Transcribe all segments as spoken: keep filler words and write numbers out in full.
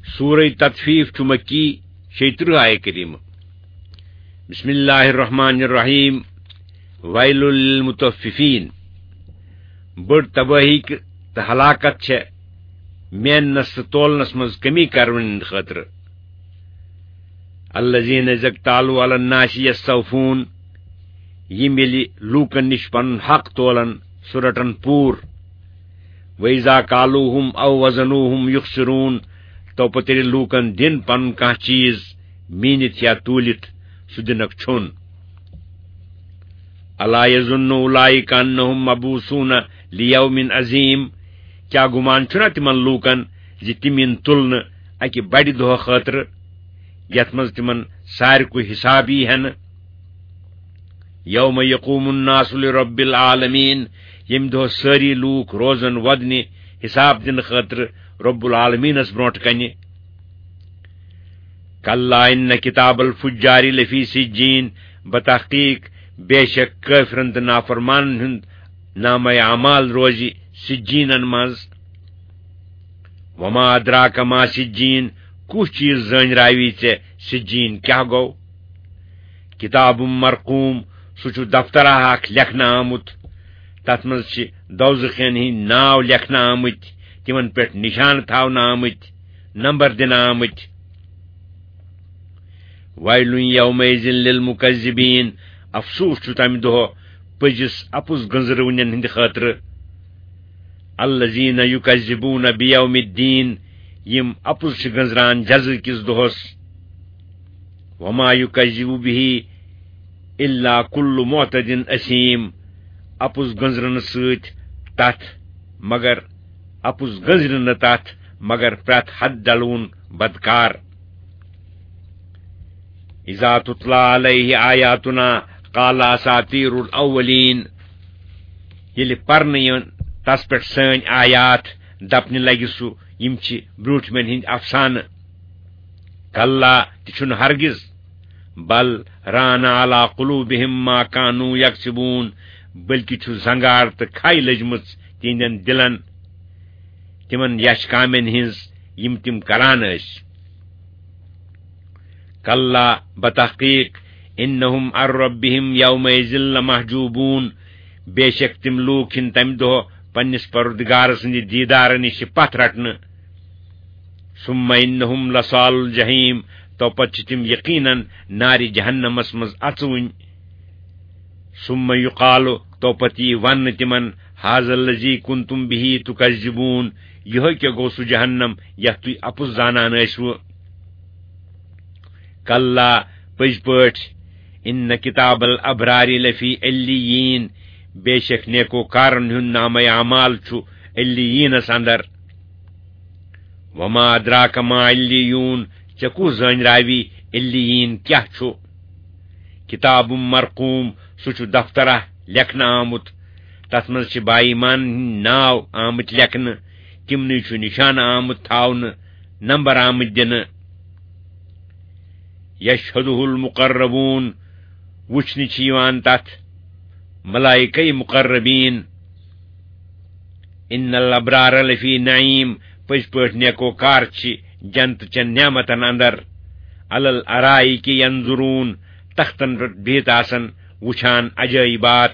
سورہ تطفیف چھُ مکی، شیٚیہِ ترٕٛہ آیہِ کریمہ۔ بسم اللہ الرحمن الرحیم۔ ویل للمطففین۔ بٔڑ تباہی تہٕ ہلاکت چھےٚ میننس تہٕ تولنس منٛز کمی کرن ہٕنٛدِ خٲطرٕ۔ الذین اذا اکتالوا علی الناس یستوفون، یِم ییٚلہِ لوٗکن نِش پنُن حق تولن، سُہ رٹن پوٗرٕ۔ وَإِذَا كَالُوهُمْ أَو وَّزَنُوهُمْ يُخْسِرُونَ، تو پتہٕ ییٚلہِ لوٗکن دِن پنُن کانٛہہ چیٖز میٖنِتھ یا توٗلِتھ، سُہ دِنکھ ژھوٚن۔ أَلَا يَظُنُّ أُولَٰئِكَ أَنَّهُمْ مَبْعُوثُونَ لِيَوْمٍ عَظِيمٍ، کیٛاہ گُمان چھُنا تِمن لوٗکن زِ تِم یِن تُلنہٕ اَکہِ بَڑِ دۄہ خٲطرٕ، یَتھ منٛز تِمن سارِکُے حِساب یی ہٮ۪نہٕ؟ یوم یقوم الناس لرب العالمین، ییٚمہِ دۄہ سٲری لوٗکھ روزن وۄدنہِ حساب دِنہٕ خٲطرٕ رب العالمینس برونٛٹھ کنہِ۔ کلا ان کتاب الفجار لفی سجین، بتحقیق بے شک کٲفرن تہٕ نافرمانن ہُنٛد نامہ اعمال روزِ سجینن منٛز۔ وما ادراک ما سجین، کُس چیٖز زٲنۍ راوی ژےٚ سجین کیٛاہ گوٚو؟ کتاب مرقوم، سُہ چھُ دفترا اکھ لیکھنہٕ آمُت۔ تتھ منٛز چھِ دوزخین ہٕنٛدۍ ناو لیکھنہٕ آمٕتۍ، تِمن پٮ۪ٹھ نشانہٕ تھاونہٕ آمٕتۍ، نمبر دِنہٕ آمٕتۍ۔ ویل یومئذ للمکذبین، افسوس چھُ تمہِ دۄہ پٔزِس اپُز گٔنزرونٮ۪ن ہٕنٛدِ خٲطرٕ۔ الذین یکذبون بیوم الدین، یِم اپُز چھِ گٔنزران جزا کِس دۄہس۔ وما یکذب به الا کل معتد اثیم، اپُز گٔنزرنہٕ سۭتۍ تتھ مگر، اپُز گٔنزرِ نہٕ تتھ مگر پرٛٮ۪تھ حد ڈلوُن بدکار۔ اذا تتلی علیہ آیاتنا قال اساطیر الاولین، ییٚلہِ پرنہٕ یِن تس پٮ۪ٹھ سٲنۍ آیات، دپنہِ لگہِ سُہ، یِم چھِ برٛونٛٹھمٮ۪ن ہٕنٛدۍ افسانہٕ۔ کلا، تہِ چھُنہٕ ہرگز۔ بل ران علی قلوبہم ما کانوا یکسبون، بلکہ چھُ زنگار تہٕ کھے لٔجمٕژ تِہنٛدٮ۪ن دِلن تِمن یش کامٮ۪ن ہٕنٛز، یِم تِم کران ٲسۍ۔ کلا، بتحقیق، انہم عن ربہم یومئذ لمحجوبون، بے شک تِم لوٗکھ یِن تمہِ دۄہ پننِس پروردگار سٕنٛدِ دیدارٕ نِش پتھ رٹنہٕ۔ ثم انہم لصال الجحیم، تو پتہٕ چھِ تِم یقیناً نارِ جہنمس منٛز اژوٕنۍ۔ ثم یقال، تو پتہٕ یی وننہٕ تِمن، ھذا الذی کنتم بہ تکذبون، یِہوٚے کیٛاہ گوٚو سُہ جہنم یتھ تُہۍ اپُز زانان ٲسوٕ۔ کلا، پٔزۍ پٲٹھۍ، ان کتاب الابرار لفی علیین، بے شک نیکوکارن ہُنٛد نامہ اعمال چھُ علیینس اندر۔ وما ادراک ما علیون، ژےٚ کُس زٲنۍ راوی علیین کیٛاہ چھُ؟ کتاب مرقوم، سُہ چھُ دفترا لیکھنہٕ آمُت، تتھ منٛز چھِ با ایمان ہٕنٛدۍ ناو آمٕتۍ لیکھنہٕ، تِمنٕے چھُ نشانہٕ آمُت تھاونہٕ، نمبر آمٕتۍ دِنہٕ۔ یشہدہ المقربون، وُچھنہٕ چھِ یِوان تتھ ملائکہ مقربین۔ ان الابرار لفی نعیم، پٔزۍ پٲٹھۍ نیکوکار چھِ جنت چٮ۪ن نعمتن اندر۔ علی الارائک ینظرون، تختن پٮ۪ٹھ بِہِتھ آسن وُچھان عجٲیبات۔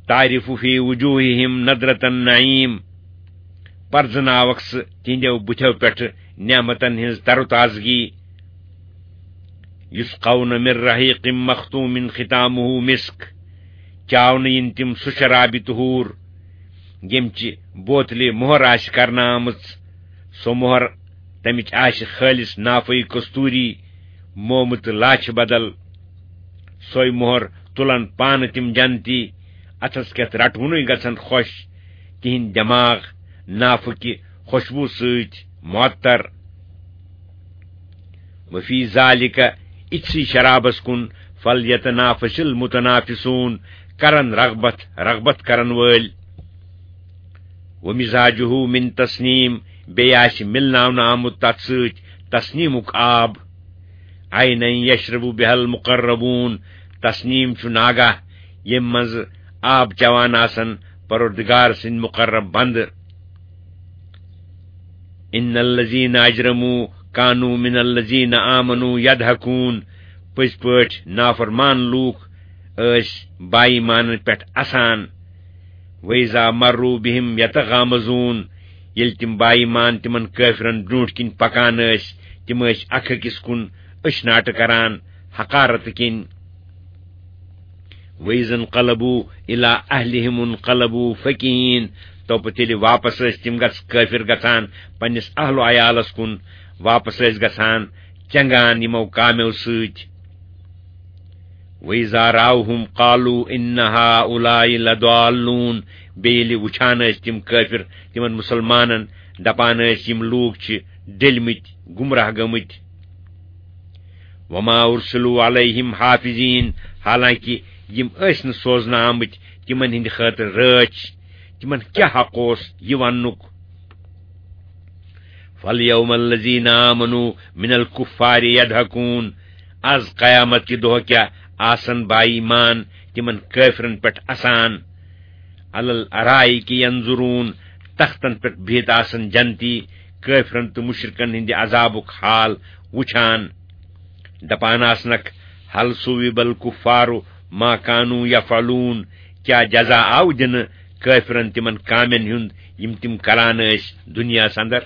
تعرف فی وجوہہم نضرۃ النعیم، پرزناوکھ سُہ تِہنٛدیو بُتھیو پٮ۪ٹھٕ نعمتن ہٕنٛز تر و تازگی۔ یسقون من رحیق مختوم ختامہ مسک، چاونہٕ یِن تِم سُہ شرابہِ طہوٗر، ییٚمہِ چہِ بوتلہِ مۄہر آسہِ کرنہٕ آمٕژ، سۄ مۄہر تمِچ آسہِ خٲلص نافعی کستوری، مومہٕ تہٕ لاچھِ بدل۔ سۄے مۄہر تُلن پانہٕ تِم جنتی، اتھس کٮ۪تھ رٹوُنٕے گژھن خۄش، تِہنٛدۍ دٮ۪ماغ نافہٕ کہِ خوشبو سۭتۍ معطر۔ وفی ذالک، اِتھسٕے شرابس کُن، فلیتنافس المتنافسون، کرن رغبت رغبت کرن وٲلۍ۔ ومزاجہ من تسنیم، بیٚیہِ آسہِ مِلناونہٕ آمُت تتھ سۭتۍ تسنیمُک آب۔ عینا یشرب بها المقربون، تسنیم چھُ ناگہ ییٚمہِ منٛزٕ آب چٮ۪وان آسن پروردگار سٕنٛدۍ مقرب بندٕ۔ ان الذین اجرموا کانوا من الذین آمنوا یضحکون۔ پٔزۍ پٲٹھۍ نافرمان لوٗکھ ٲسۍ با ایمانن پٮ۪ٹھ اسان۔ وَإِذَا مَرُّوا بِهِمْ يَتَغَامَزُونَ۔ ییٚلہِ تِم با ایمان تِمن کٲفرن برٛونٛٹھ کِنۍ پکان ٲسۍ، تِم ٲسۍ اکھ أکِس کُن أچھ ناٹہٕ کران، حقارت کِنۍ۔ وَإِذَا انْقَلَبُوا إِلَىٰ أَهْلِهِمُ انْقَلَبُوا فَكِهِينَ۔ تو پتہٕ ییٚلہِ واپس ٲسۍ تِم گژھ-، کٲفر گژھان پننِس اہل و عیالس کُن، واپس ٲسۍ گژھان چنگان یِمو کامیو سۭتۍ۔ وَإِذَا رَأَوْهُمْ قَالُوا إِنَّ هَٰؤُلَاءِ لَضَالُّونَ۔ بیٚیہِ ییٚلہِ وٕچھان ٲسۍ تِم کٲفر تِمن مُسلمانن، دپان ٲسۍ، یِم لوٗکھ چھِ ڈٔلۍ مٕتۍ، گمراہ گٔمٕتۍ۔ وَمَا أُرْسِلُوا عَلَيْهِمْ حَافِظِينَ۔ حالانکہ یِم ٲسۍ نہٕ سوزنہٕ آمٕتۍ تِمن ہٕنٛدِ خٲطرٕ رٲچھ، تِمن کیٛاہ حق اوس یہِ وننُک؟ فَالْيَوْمَ الَّذِينَ آمَنُوا مِنَ الْكُفَّارِ يَضْحَكُونَ۔ از قیامت کہِ دۄہ کیٛاہ آسن با ایمان تِمن کٲفرن پٮ۪ٹھ اسان۔ عَلَى الْأَرَائِكِ يَنْظُرُونَ۔ تختن پٮ۪ٹھ بِہِتھ آسن جنتی کٲفرن تہٕ مُشرِکن ہٕنٛدِ عذابُک حال وُچھان۔ دپان آسنکھ، هَلْ ثُوِّبَ الْكُفَّارُ مَا كَانُوا يَفْعَلُونَ۔ کیٛاہ جزا آو دِنہٕ کٲفرن تِمن کامٮ۪ن ہُنٛد یِم تِم کران ٲسۍ دُنیاہس اندر؟